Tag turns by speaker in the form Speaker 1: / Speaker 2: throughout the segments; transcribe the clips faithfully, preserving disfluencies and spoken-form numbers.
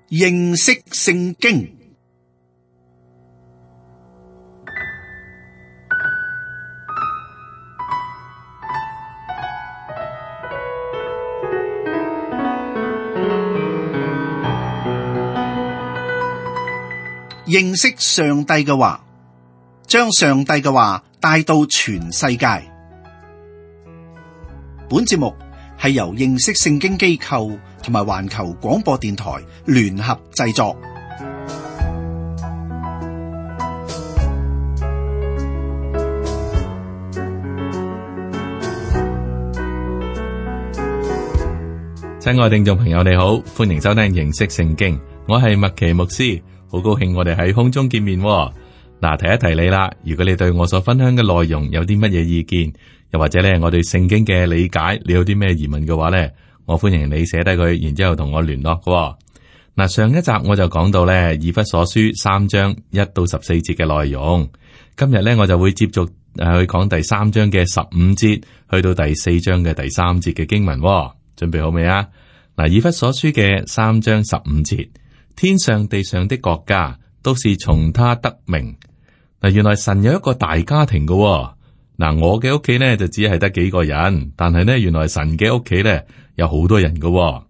Speaker 1: 認識聖經。認識上帝嘅話，將上帝嘅話帶到全世界。本節目係由認識聖經機構同埋環球廣播電台聯合製作。
Speaker 2: 親愛聽眾朋友，你好，歡迎收聽認識聖經，我係麥奇牧師。好高興我哋喺空中見面喎。嗱，提一提你啦，如果你對我所分享嘅內容有啲乜嘢意見，又或者咧我對聖經嘅理解，你有啲咩疑問嘅話咧，我歡迎你寫低佢，然之後同我聯絡嘅。嗱，上一集我就講到咧以弗所書三章一到十四節嘅內容，今日咧我就會接續誒去講第三章嘅十五節去到第四章嘅第三節嘅經文喎。準備好未啊？嗱，以弗所書嘅三章十五節。天上地上的國家都是從他得名。嗱，原來神有一個大家庭嘅喎。嗱，我嘅屋企呢就只係得幾個人，但係呢，原來神嘅屋企呢有好多人嘅喎。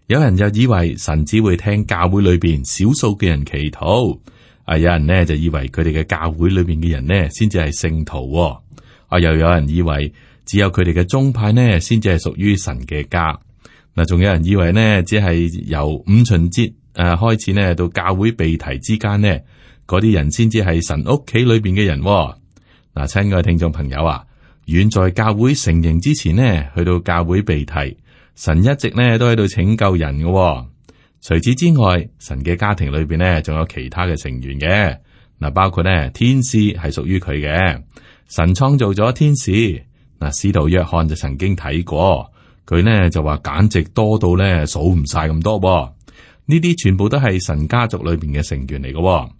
Speaker 2: 有人就以為神只會聽教會裏邊少數嘅人祈禱，啊，有人呢就以為佢哋嘅教會裏邊嘅人呢先至係聖徒喎。啊，又有人以為只有佢哋嘅宗派呢先至係屬於神嘅家。嗱，仲有人以為呢只係由五旬節誒、啊，開始呢到教會被提之間呢，嗰啲人先至係神屋企裏邊嘅人、哦。嗱、啊，親愛嘅聽眾朋友啊，遠在教會成形之前呢，去到教會被提，神一直呢都喺度拯救人嘅、哦。除此之外，神嘅家庭裏邊呢，仲有其他嘅成員嘅。嗱、啊，包括呢天使係屬於佢嘅，神創造咗天使。嗱、啊，使徒約翰就曾經睇過，佢呢就話簡直多到呢數唔晒咁多、哦。呢啲全部都係神家族裏邊嘅成員嚟嘅、哦，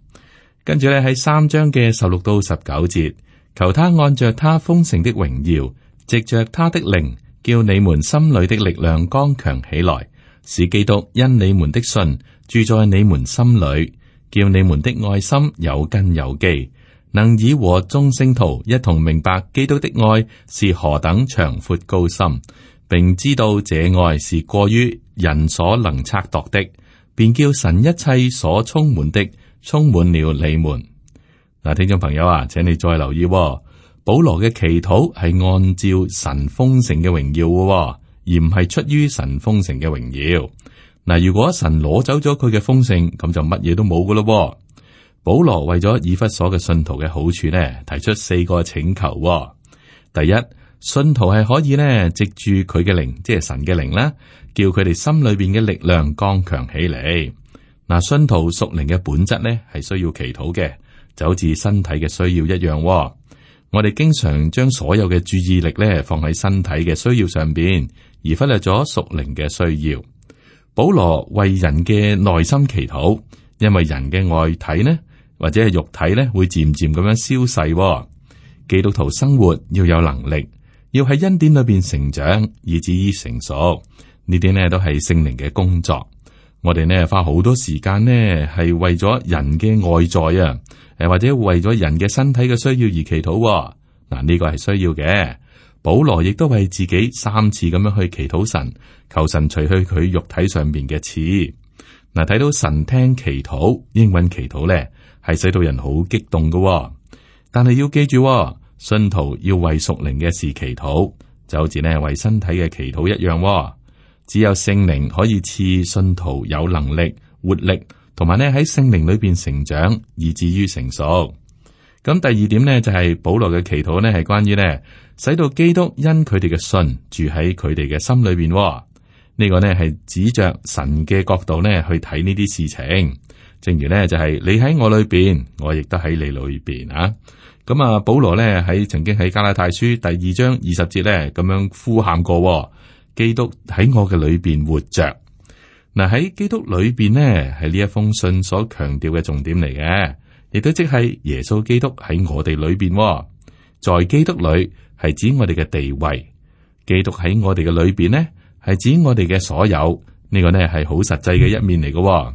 Speaker 2: 跟住咧喺三章嘅十六到十九節，求他按着他豐盛的榮耀，藉着他的靈，叫你們心裏的力量剛強起來，使基督因你們的信住在你們心裏，叫你們的愛心有根有基，能以和眾聖徒一同明白基督的愛是何等長闊高深，並知道這愛是過於人所能測度的。便叫神一切所充滿的充滿了你們。嗱，聽眾朋友啊，請你再留意、哦，保羅嘅祈禱係按照神豐盛嘅榮耀嘅、哦，而唔係出於神豐盛嘅榮耀。嗱，如果神攞走咗佢嘅豐盛，咁就乜嘢都冇噶咯。保羅為咗以弗所嘅信徒嘅好處呢，提出四個請求、哦。第一，信徒係可以呢，藉住佢嘅靈，即係神嘅靈啦，叫佢哋心裏邊嘅力量剛強起嚟。嗱，信徒屬靈嘅本質呢，係需要祈禱嘅，就好似身體嘅需要一樣、哦。我哋經常將所有嘅注意力呢放喺身體嘅需要上邊，而忽略咗屬靈嘅需要。保羅為人嘅內心祈禱，因為人嘅外體呢，或者係肉體呢，會漸漸咁樣消逝、哦。基督徒生活要有能力。要喺恩典裏邊成長，以至於成熟，呢啲呢都係聖靈嘅工作。我哋呢花好多時間呢，係為咗人嘅外在啊，誒或者為咗人嘅身體嘅需要而祈禱、哦。嗱，呢個係需要嘅。保羅亦都為自己三次咁樣去祈禱神，求神除去佢肉體上邊嘅刺。嗱，睇到神聽祈禱、應允祈禱咧，係使到人好激動嘅、哦。但係要記住、哦。信徒要為屬靈嘅事祈禱，就好似呢為身體嘅祈禱一樣、哦。只有聖靈可以賜信徒有能力、活力，同埋呢喺聖靈裏邊成長，以至於成熟。咁第二點呢，就係、是、保羅嘅祈禱呢係關於呢使到基督因佢哋嘅信住喺佢哋嘅心裏邊、哦。呢、這個呢係指着神嘅角度呢去睇呢啲事情。正如呢就係、是、你喺我裏邊，我亦都喺你裏邊啊。咁啊，保羅咧喺曾經喺加拉太書第二章二十節咧咁樣呼喊過、哦，基督喺我嘅裏邊活着。嗱，喺基督裏邊呢，係呢一封信所強調嘅重點嚟嘅，亦都即係耶穌基督喺我哋裏邊、哦。在基督裏係指我哋嘅地位，基督喺我哋嘅裏邊呢係指我哋嘅所有。呢、這個呢係好實際嘅一面嚟嘅、哦。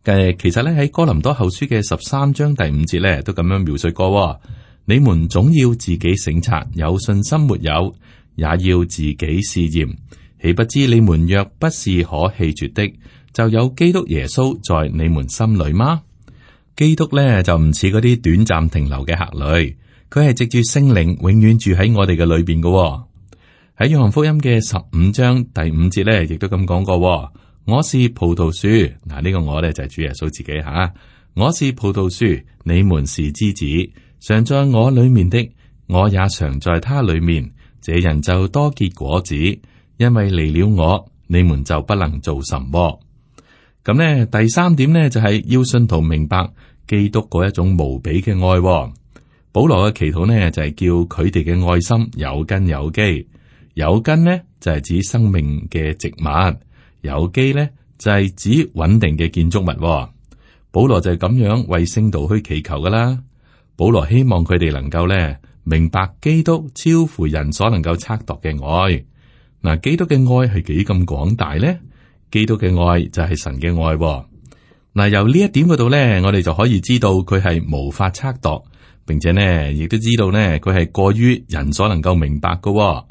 Speaker 2: 誒，其實咧喺哥林多後書嘅十三章第五節咧都咁樣描述過，你們總要自己省察，有信心沒有，也要自己試驗。豈不知你們若不是可棄絕的，就有基督耶穌在你們心裏嗎？基督咧就唔似嗰啲短暫停留嘅客旅，佢係藉住聖靈永遠住喺我哋嘅裏邊嘅。喺約翰福音嘅十五章第五節咧，亦都咁講過。我是葡萄樹，嗱、這、呢個我咧就係主耶穌自己吓。我是葡萄樹，你們是枝子，常在我裏面的，我也常在他裏面。這人就多結果子，因為離了我，你們就不能做什麼。咁呢，第三點呢，就係要信徒明白基督嗰一種無比嘅愛。保羅嘅祈禱呢，就係叫佢哋嘅愛心有根有基。有根呢，就係指生命嘅植物。有基咧就係指穩定嘅建築物。保羅就係咁樣為聖徒去祈求噶啦。保羅希望佢哋能夠咧明白基督超乎人所能夠測度嘅愛。嗱，基督嘅愛係幾咁廣大咧？基督嘅愛就係神嘅愛。嗱，由呢一點嗰度咧，我哋就可以知道佢係無法測度，並且呢亦都知道呢佢係過於人所能夠明白噶。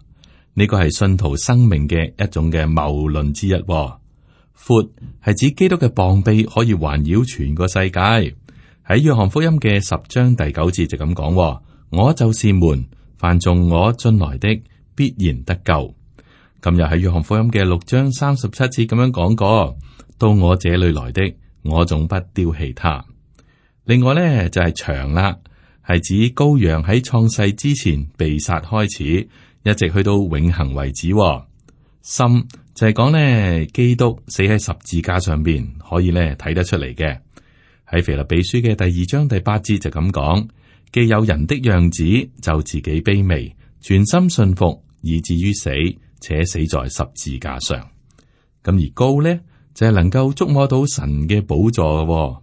Speaker 2: 呢個係信徒生命嘅一種嘅謬論之一。闊係指基督嘅膀臂可以環繞全個世界。喺約翰福音嘅十章第九節就咁講：我就是門，凡從我進來的必然得救。今日喺約翰福音嘅六章三十七節咁樣講過：到我這裏來的，我總不丟棄他。另外呢，就係長啦，係指羔羊喺創世之前被殺開始，一直去到永恒為止。深就係講呢，基督死喺十字架上邊，可以呢睇得出嚟嘅。喺腓立比書嘅第二章第八節就咁講：既有人的樣子，就自己卑微，全心信服，以至於死，且死在十字架上。咁而高呢，就係能夠觸摸到神嘅寶座。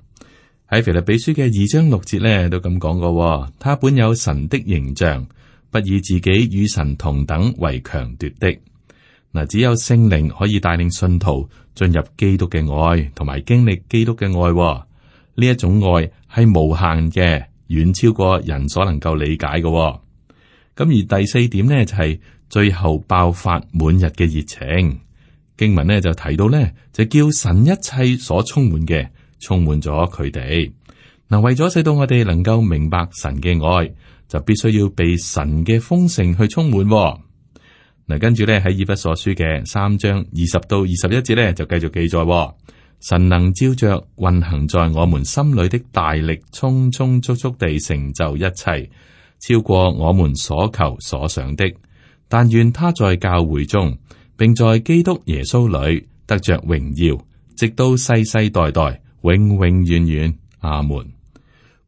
Speaker 2: 喺腓立比書嘅二章六節呢，都咁講過：他本有神的形象，不以自己與神同等為強奪的。嗱，只有聖靈可以帶領信徒進入基督嘅愛，同埋經歷基督嘅愛。呢一種愛係無限嘅，遠超過人所能夠理解嘅。咁而第四點呢，就係最後爆發滿日嘅熱情。經文呢就提到呢，就叫神一切所充滿嘅充滿咗佢哋。嗱，為咗使到我哋能夠明白神嘅愛，就必須要被神嘅豐盛去充滿。嗱，跟住咧喺以弗所書嘅三章二十到二十一節咧，就繼續記載：神能照着運行在我們心裏的大力，充充足足地成就一切，超過我們所求所想的。但願他在教會中，並在基督耶穌裏得着榮耀，直到世世代代，永永遠遠。阿門。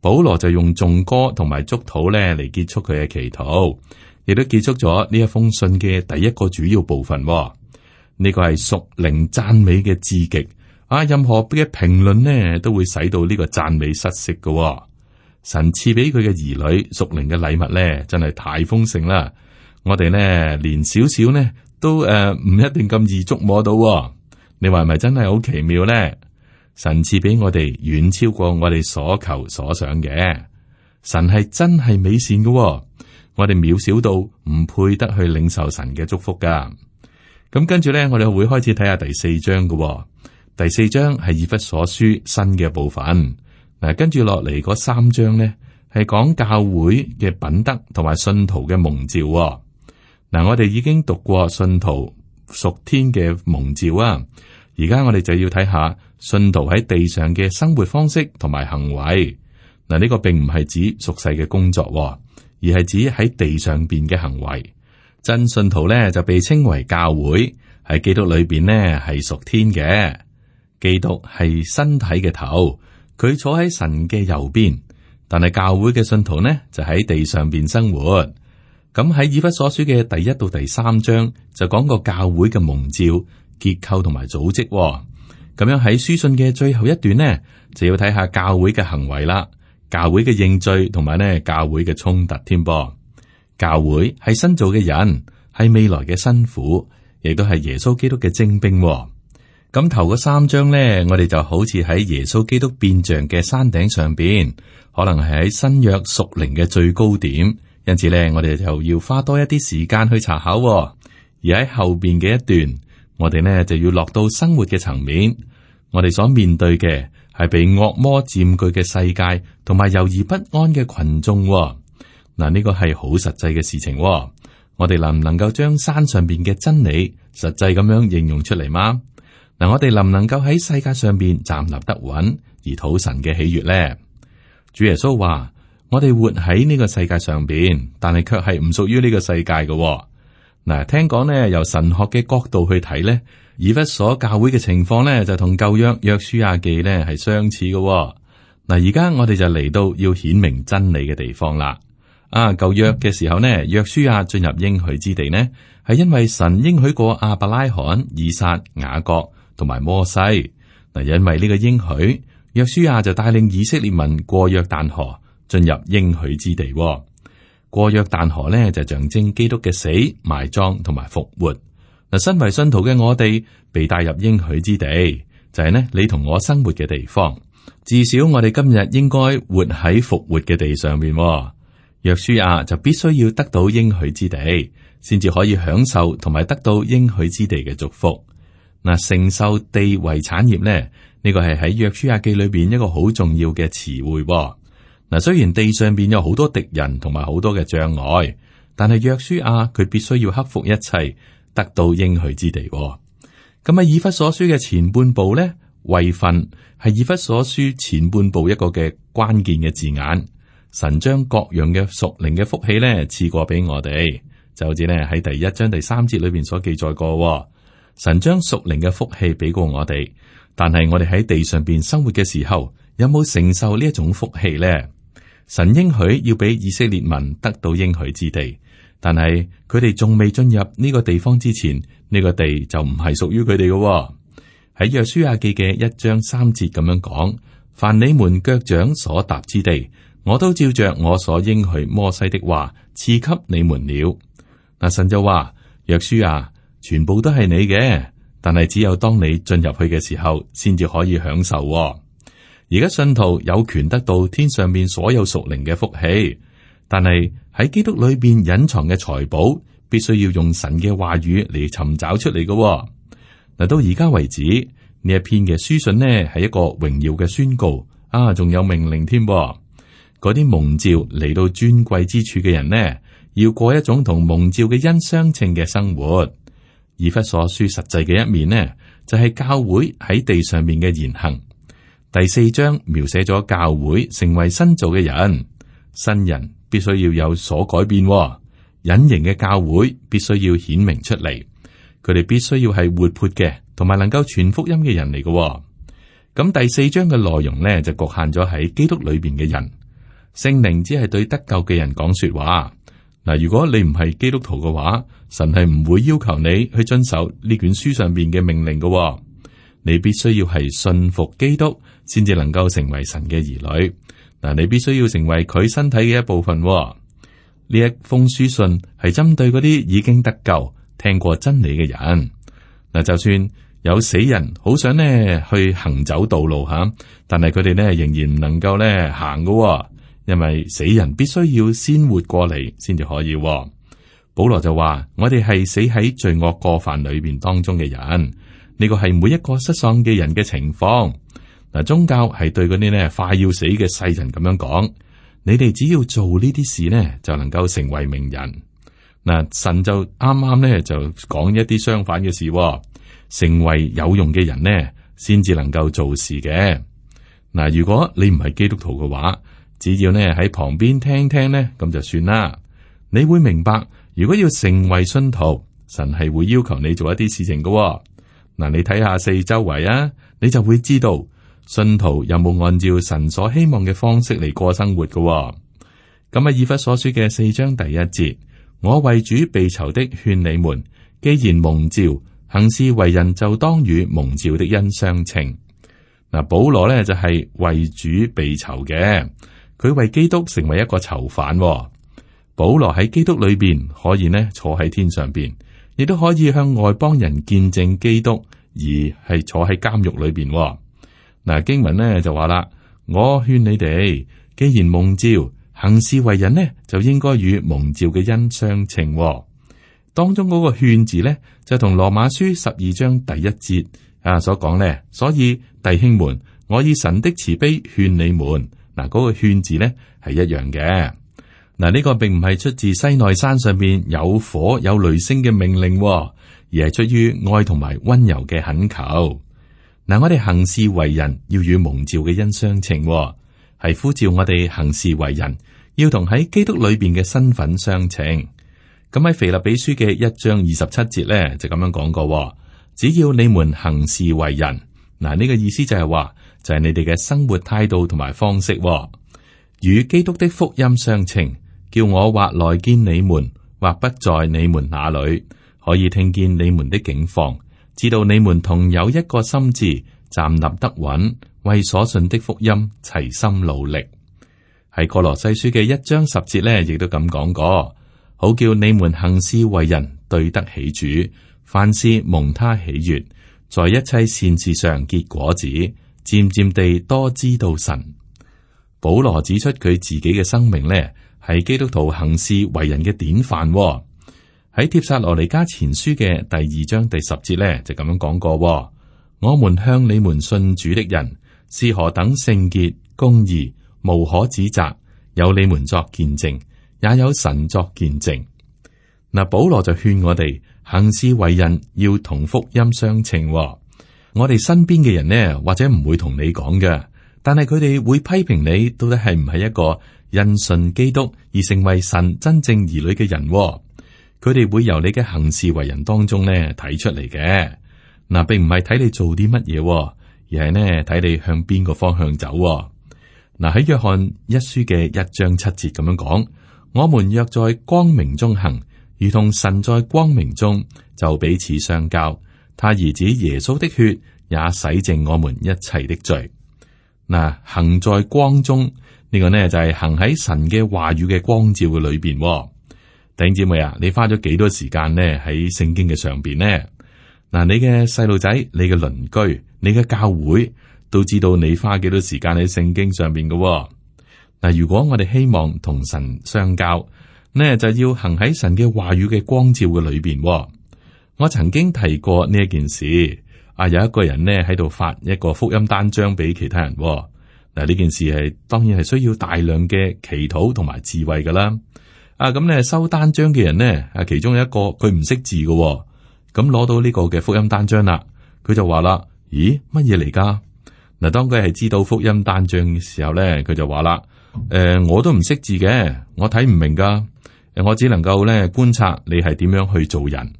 Speaker 2: 保羅就用頌歌同埋祝禱咧嚟結束佢嘅祈禱。亦都結束咗呢一封信嘅第一個主要部分。呢、這個係屬靈讚美嘅至極啊！任何嘅評論呢，都會使到呢個讚美失色嘅。神賜俾佢嘅兒女屬靈嘅禮物呢，真係太豐盛啦！我哋呢，連少少呢都誒唔、呃、一定咁易觸摸到。你話係咪真係好奇妙呢？神賜俾我哋遠超過我哋所求所想嘅。神係真係美善嘅。我哋渺小到唔配得去領受神嘅祝福噶。咁跟住咧，我哋會開始睇下第四章嘅。第四章係以弗所書新嘅部分。嗱，跟住落嚟嗰三章咧，係講教會嘅品德同埋信徒嘅蒙召。嗱，我哋已經讀過信徒屬天嘅蒙召啊。而家我哋就要睇下信徒喺地上嘅生活方式同埋行為。嗱，呢個並唔係指屬世嘅工作。而係指喺地上邊嘅行為。真信徒咧就被稱為教會，喺基督裏邊呢係屬天嘅。基督係身體嘅頭，佢坐喺神嘅右邊。但係教會嘅信徒呢就喺地上邊生活。咁喺以弗所書嘅第一到第三章就講過教會嘅蒙召、結構同埋組織。咁樣喺書信嘅最後一段呢，就要睇下教會嘅行為啦。教會嘅認罪同埋呢教會嘅衝突添噃。教會係新造嘅人，係未來嘅新婦，亦都係耶穌基督嘅精兵。咁頭嗰三章呢，我哋就好似喺耶穌基督變像嘅山頂上邊，可能係喺新約屬靈嘅最高點，因此呢，我哋就要花多一啲時間去查考。而喺後邊嘅一段，我哋呢就要落到生活嘅層面，我哋所面對嘅係被惡魔佔據嘅世界，同埋猶豫不安嘅群眾。嗱，呢個係好實際嘅事情。我哋能唔能夠將山上邊嘅真理實際咁樣應用出嚟嗎？嗱，我哋能唔能夠喺世界上邊站立得穩，而討神嘅喜悅呢？主耶穌話：我哋活喺呢個世界上邊，但係卻係唔屬於呢個世界嘅。嗱，聽講呢，由神學嘅角度去睇呢，以弗所教會嘅情況呢，就同舊約約書亞記呢係相似嘅。嗱，而家我哋就嚟到要顯明真理嘅地方啦。啊，舊約嘅時候呢，約書亞進入應許之地呢，係因為神應許過亞伯拉罕、以撒、雅各同埋摩西。嗱，因為呢個應許，約書亞就帶領以色列民過約旦河，進入應許之地。過約旦河呢，就象徵基督嘅死、埋葬同埋復活。嗱，身為信徒嘅我哋被帶入應許之地，就係呢你同我生活嘅地方。至少我哋今日應該活喺復活嘅地上面。約書亞就必須要得到應許之地，先至可以享受同埋得到應許之地嘅祝福。嗱，承受地為產業咧，呢個係喺約書亞記裏邊一個好重要嘅詞彙。嗱，雖然地上邊有好多敵人同埋好多嘅障礙，但係約書亞佢必須要克服一切，得到應許之地。咁喺以弗所書嘅前半部咧，位份係以弗所書前半部一個嘅關鍵嘅字眼。神將各樣嘅屬靈嘅福氣咧賜過俾我哋，就好似咧喺第一章第三節裏邊所記載過。神將屬靈嘅福氣俾過我哋，但係我哋喺地上邊生活嘅時候，有冇承受呢一種福氣咧？神應許要俾以色列民得到應許之地，但係佢哋仲未進入呢個地方之前，呢個地就唔係屬於佢哋嘅。喺約書亞記嘅一章三節咁樣講：凡你們腳掌所踏之地，我都照着我所應許摩西的話賜給你們了。嗱，神就話：約書亞，全部都係你嘅，但係只有當你進入去嘅時候，先至可以享受。而家信徒有權得到天上面所有屬靈嘅福氣，但係喺基督裏邊隱藏嘅財寶，必須要用神嘅話語嚟尋找出嚟嘅。嗱，到而家為止，呢一篇嘅書信呢係一個榮耀嘅宣告啊，仲有命令添。嗰啲蒙召嚟到尊貴之處嘅人呢，要過一種同蒙召嘅恩相稱嘅生活。以弗所書實際嘅一面呢，就係、是、教會喺地上面嘅言行。第四章描寫咗教會成為新造嘅人，新人必須要有所改變。隱形嘅教會必須要顯明出嚟，佢哋必須要係活潑嘅，同埋能夠傳福音嘅人嚟嘅。咁第四章嘅內容呢，就局限咗喺基督裏邊嘅人。聖靈只係對得救嘅人講說話。嗱，如果你唔係基督徒嘅話，神係唔會要求你去遵守呢卷書上邊嘅命令嘅。你必須要係信服基督，先至能夠成為神嘅兒女。嗱，你必須要成為佢身體嘅一部分。呢一封書信係針對嗰啲已經得救、聽過真理嘅人。嗱，就算有死人好想呢去行走道路吓，但係佢哋呢仍然唔能夠呢行嘅。因為死人必須要先活過嚟，先至可以。保羅就話：我哋係死喺罪惡過犯裏邊當中嘅人，呢個係每一個失喪嘅人嘅情況。嗱，宗教係對嗰啲呢快要死嘅世人咁樣講：你哋只要做呢啲事呢，就能夠成為名人。嗱，神就啱啱呢就講一啲相反嘅事，成為有用嘅人呢，先至能夠做事嘅。嗱，如果你唔係基督徒嘅話，只要呢喺旁邊聽聽呢，咁就算啦。你會明白，如果要成為信徒，神係會要求你做一啲事情嘅。嗱，你睇下四周圍啊，你就會知道信徒有冇按照神所希望嘅方式嚟過生活嘅。咁啊，以弗所書嘅四章第一節，我為主被囚的勸你們，既然蒙召，行事為人就當與蒙召的恩相稱。嗱，保羅呢就係為主被囚嘅。佢為基督成為一個囚犯。保羅喺基督裏邊可以呢坐喺天上邊，亦都可以向外邦人見證基督，而係坐喺監獄裏邊。嗱，經文呢就話啦，我勸你哋，既然蒙召，行事為人呢，就應該與蒙召嘅恩相稱。當中嗰個勸字呢，就同羅馬書十二章第一節啊所講呢，所以弟兄們，我以神的慈悲勸你們。嗱，嗰個勸字呢係一樣嘅。嗱，呢個並唔係出自西奈山上邊有火有雷聲嘅命令，而係出於愛同埋溫柔嘅懇求。嗱，我哋行事為人要與蒙召嘅恩相稱，係呼召我哋行事為人要同喺基督裏邊嘅身份相稱。咁喺腓立比書嘅一章二十七節咧就咁樣講過，只要你們行事為人，嗱，呢個意思就係話就係你哋嘅生活態度同埋方式與基督的福音相稱。叫我或來見你們，或不在你們那裏，可以聽見你們的境況，知道你們同有一個心志，站立得穩，為所信的福音齊心努力。喺哥羅西書嘅一章十節呢，亦都咁講過，好叫你們行事為人對得起主，凡事蒙他喜悅，在一切善事上結果子，漸漸地多知道神。保羅指出佢自己嘅生命呢，係基督徒行事為人嘅典範。喺帖撒羅尼迦前書嘅第二章第十節呢，就咁樣講過，我們向你們信主的人是何等聖潔、公義，無可指責，有你們作見證，也有神作見證。嗱，保羅就勸我哋行事為人要同福音相稱。我哋身邊嘅人呢，或者唔會同你講嘅，但係佢哋會批評你到底係唔係一個因信基督而成為神真正兒女嘅人。佢哋會由你嘅行事為人當中呢睇出嚟嘅。嗱，並唔係睇你做啲乜嘢，而係呢睇你向邊個方向走。嗱，喺約翰一書嘅一章七節咁樣講，我們若在光明中行，如同神在光明中，就彼此相交。他兒子耶穌的血也洗淨我們一切的罪。嗱，行在光中。呢個呢就係行喺神嘅話語嘅光照嘅裏邊。弟兄姊妹啊，你花咗幾多時間呢喺聖經嘅上邊呢？嗱，你嘅細路仔、你嘅鄰居、你嘅教會都知道你花幾多時間喺聖經上邊嘅。嗱，如果我哋希望同神相交，呢就要行喺神嘅話語嘅光照嘅裏邊。我曾經提過呢一件事，啊，有一個人呢喺度發一個福音單張俾其他人。嗱，呢件事係當然係需要大量嘅祈禱同埋智慧噶啦。啊，咁咧收單張嘅人呢，啊，其中有一個佢唔識字嘅，咁攞到呢個嘅福音單張啦，佢就話啦：咦，乜嘢嚟噶？嗱，當佢係知道福音單張嘅時候咧，佢就話啦：誒、呃，我都唔識字嘅，我睇唔明噶，誒，我只能夠咧觀察你係點樣去做人。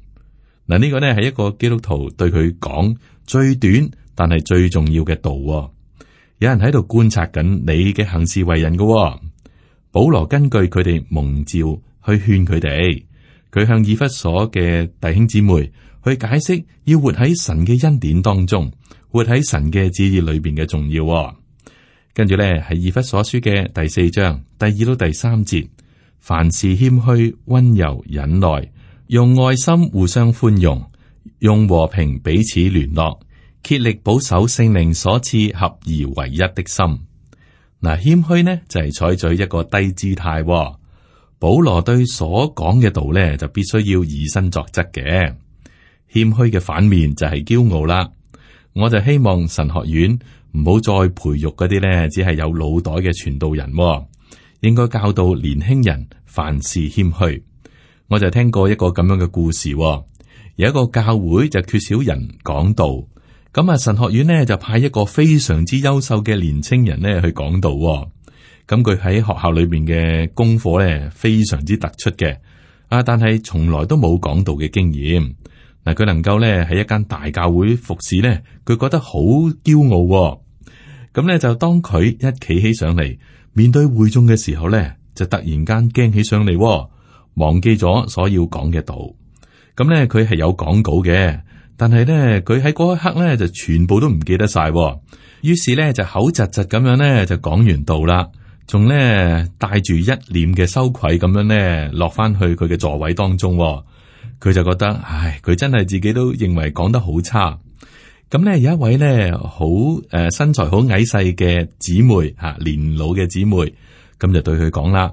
Speaker 2: 嗱，呢個呢係一個基督徒對佢講最短但係最重要嘅道。有人喺度觀察緊你嘅行事為人嘅、哦。保羅根據佢哋蒙召去勸佢哋，佢向以弗所嘅弟兄姊妹去解釋要活喺神嘅恩典當中，活喺神嘅旨意裏邊嘅重要、哦。跟住咧係以弗所書嘅第四章第二到第三節，凡事謙虛、溫柔、忍耐，用愛心互相寬容，用和平彼此聯絡。竭力保守聖靈所賜合而為一的心。嗱，謙虛呢就係採取一個低姿態。保羅對所講嘅道呢，就必須要以身作則嘅。謙虛嘅反面就係驕傲啦。我就希望神學院唔好再培育嗰啲呢，只係有腦袋嘅傳道人，應該教導年輕人凡事謙虛。我就聽過一個咁樣嘅故事，有一個教會就缺少人講道。咁啊，神學院呢就派一個非常之優秀嘅年青人呢去講道。咁佢喺學校裏邊嘅功課呢非常之突出嘅，啊，但係從來都冇講道嘅經驗。嗱，佢能夠呢喺一間大教會服侍呢，佢覺得好驕傲。咁呢就當佢一企起上嚟面對會眾嘅時候呢，就突然間驚起上嚟，忘記咗所要講嘅道。咁呢，佢係有講稿嘅。但係咧，佢喺嗰一刻咧就全部都唔記得晒，於是咧就口窒窒咁樣咧就講完道啦，仲咧帶住一臉嘅羞愧咁樣咧落翻去佢嘅座位當中，佢就覺得，唉，佢真係自己都認為講得好差。咁咧有一位咧好誒身材好矮細嘅姊妹吓，年老嘅姊妹，咁就對佢講啦：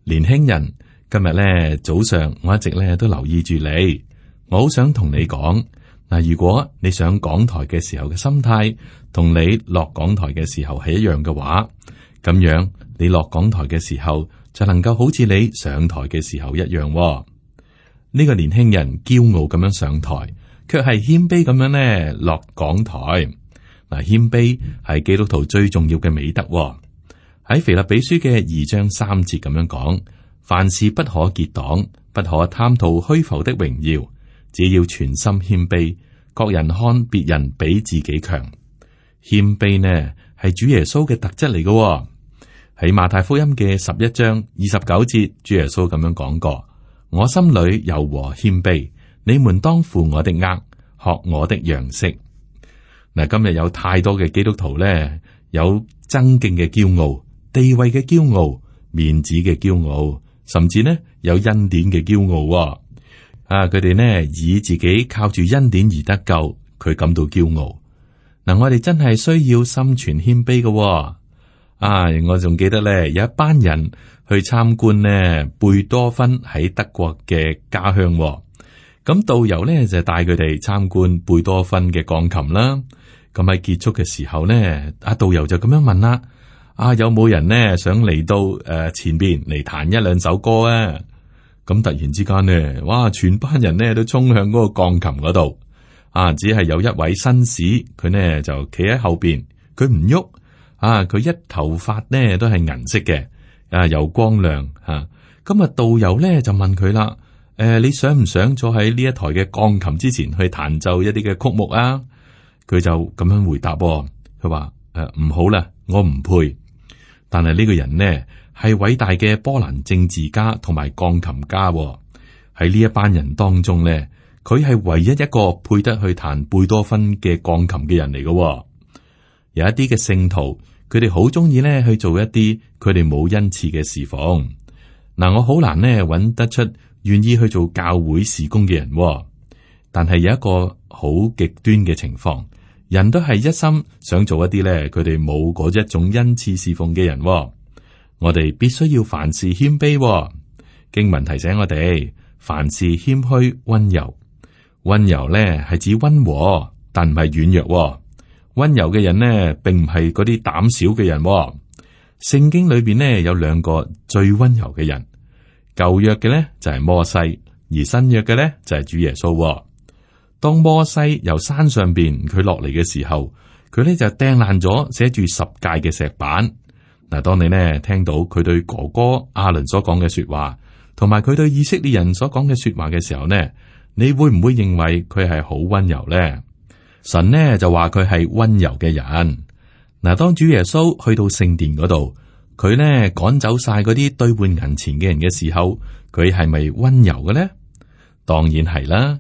Speaker 2: 年輕人，今日咧早上我一直咧都留意住你，我好想同你講嗱，如果你上講台嘅時候嘅心態同你落講台嘅時候係一樣嘅話，咁樣你落講台嘅時候就能夠好似你上台嘅時候一樣喎。呢個年輕人驕傲咁樣上台，卻係謙卑咁樣咧落講台。嗱，謙卑係基督徒最重要嘅美德喎。喺腓立比書嘅二章三節咁樣講：凡事不可結黨，不可貪圖虛浮的榮耀，只要全心謙卑，各人看別人比自己強。謙卑呢係主耶穌嘅特質嚟嘅喎。喺馬太福音嘅十一章二十九節，主耶穌咁樣講過：我心裏柔和謙卑，你們當負我的軛，學我的樣式。嗱，今日有太多嘅基督徒咧，有爭競嘅驕傲、地位嘅驕傲、面子嘅驕傲，甚至呢有恩典嘅驕傲、哦。啊，佢哋呢以自己靠住恩典而得救，佢感到驕傲。嗱、啊，我哋真係需要心存謙卑嘅、哦。啊，我仲記得咧，有一班人去參觀呢貝多芬喺德國嘅家鄉、哦。咁導遊咧就帶佢哋參觀貝多芬嘅鋼琴啦。咁喺結束嘅時候呢，阿導遊就咁樣問啦：啊，有冇人呢想嚟到誒、呃、前邊嚟彈一兩首歌啊？咁突然之間呢，哇！全班人呢都衝向嗰個鋼琴嗰度。啊，只係有一位紳士，佢呢就企喺後邊，佢唔喐。啊，佢一頭髮呢都係銀色嘅，啊又光亮吓。咁啊，導遊呢就問佢啦。誒、呃，你想唔想坐喺呢一台嘅鋼琴之前去彈奏一啲嘅曲目啊？佢就咁樣回答、哦，佢話：誒、呃，唔好啦，我唔配。但係呢個人呢係偉大嘅波蘭政治家同埋鋼琴家、哦，喺呢一班人當中呢，佢係唯一一個配得去彈貝多芬嘅鋼琴嘅人嚟嘅、哦。有一啲嘅聖徒，佢哋好中意呢去做一啲佢哋冇恩賜嘅侍奉。嗱，我好難呢揾得出願意去做教會事工嘅人、哦，但係有一個好極端嘅情況，人都係一心想做一啲咧，佢哋冇嗰一種恩賜侍奉嘅人、哦。我哋必須要凡事謙卑、哦。經文提醒我哋，凡事謙虛溫柔。溫柔咧係指溫和，但唔係軟弱、哦。溫柔嘅人呢，並唔係嗰啲膽小嘅人、哦。聖經裏邊呢，有兩個最溫柔嘅人。舊約嘅咧就係摩西，而新約嘅咧就係主耶穌。當摩西由山上邊佢落嚟嘅時候，佢咧就掟爛咗寫住十誡嘅石板。嗱，當你呢聽到佢對哥哥亞倫所講嘅說話，同埋佢對以色列人所講嘅說話嘅時候呢，你會唔會認為佢係好溫柔呢？神呢就話佢係溫柔嘅人。嗱，當主耶穌去到聖殿嗰度，佢呢趕走晒嗰啲兌換銀錢嘅人嘅時候，佢係咪溫柔嘅呢？當然係啦。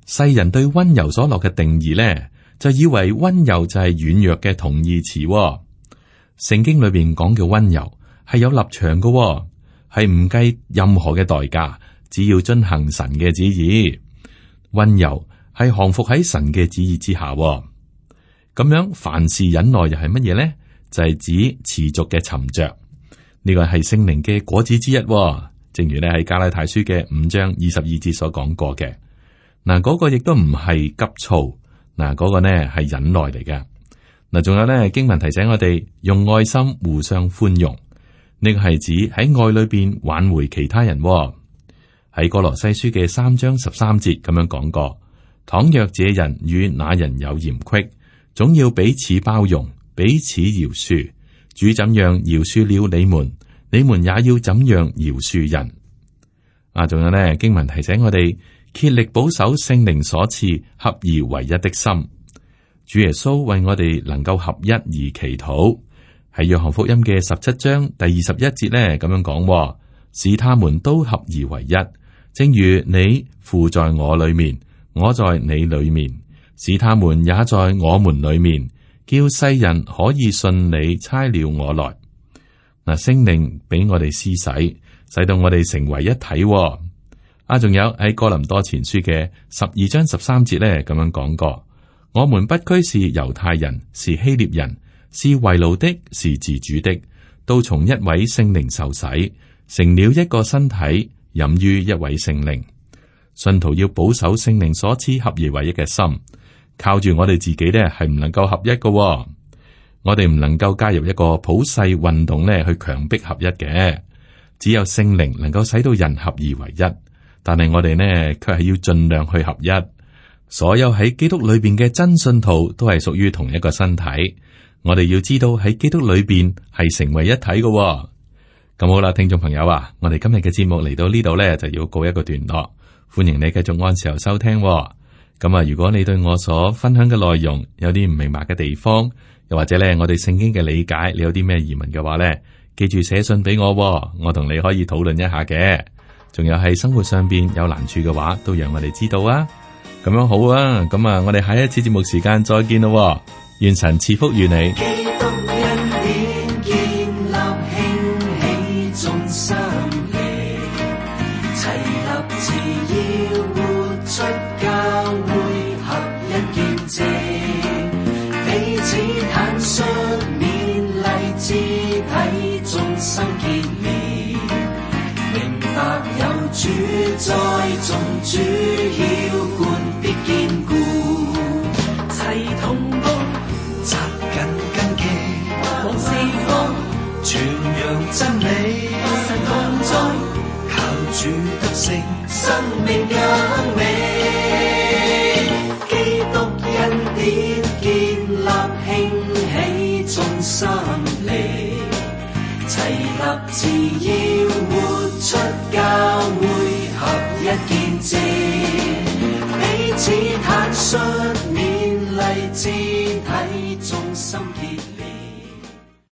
Speaker 2: 世人對溫柔所落嘅定義呢，就以為溫柔就係軟弱嘅同義詞、哦。聖經裏邊講嘅溫柔係有立場嘅、哦，係唔計任何嘅代價，只要遵行神嘅旨意。溫柔係降服喺神嘅旨意之下、哦。咁樣凡事忍耐又係乜嘢呢？就係、是、指持續嘅沉着。呢個係聖靈嘅果子之一、哦，正如咧喺加拉太書嘅五章二十二節所講過嘅。嗱，嗰個亦都唔係急躁，嗱，嗰個呢係忍耐嚟嘅。嗱，仲有呢經文提醒我哋用愛心互相寬容，呢個係指喺愛裏邊挽回其他人、哦。喺哥羅西書嘅三章十三節咁樣講過：倘若這人與那人有嫌隙，總要彼此包容，彼此饒恕。主怎樣饒恕了你們，你們也要怎樣饒恕人。啊，仲有呢經文提醒我哋竭力保守聖靈所賜合而為一的心。主耶穌為我哋能夠合一而祈禱。喺約翰福音嘅十七章第二十一節呢，咁樣講：使他們都合而為一，正如你父在我裏面，我在你裏面，使他們也在我們裏面，叫世人可以信你差了我來。嗱，聖靈俾我哋施洗，使到我哋成為一體。啊，仲有喺哥林多前書嘅十二章十三節咧，咁樣講過：我們不拘是猶太人，是希臘人，是為奴的，是自主的，都從一位聖靈受洗，成了一個身體，飲於一位聖靈。信徒要保守聖靈所賜合而為一嘅心，靠住我哋自己呢係唔能夠合一嘅、哦。我哋唔能夠加入一個普世運動呢去強迫合一嘅，只有聖靈能夠使到人合而為一。但係我哋呢卻係要盡量去合一。所有喺基督裏邊嘅真信徒都係屬於同一個身體。我哋要知道喺基督裏邊係成為一體嘅、哦。咁好啦，聽眾朋友啊，我哋今日嘅節目嚟到呢度呢，就要告一個段落。歡迎你繼續按時候收聽、哦。咁啊，如果你對我所分享嘅內容有啲唔明白嘅地方，又或者咧我哋聖經嘅理解，你有啲咩疑問嘅話咧，記住寫信俾我、哦，我同你可以討論一下嘅。仲有喺生活上邊有難處嘅話，都讓我哋知道啊。咁樣好啊，咁啊，我哋下一次節目時間再見咯。願神賜福與你。
Speaker 3: 基督恩典建立興起眾生靈，齊立志要活出教會合一見證，彼此坦率勉勵肢體眾生結連，明白有主在眾主澆灌必堅固，齊同步扎緊根基，往四方傳揚真理，神同在，靠主得勝，生命更美。基督恩典建立興起眾生靈，齊立志要活出教會合一見證，彼此坦率勉勵。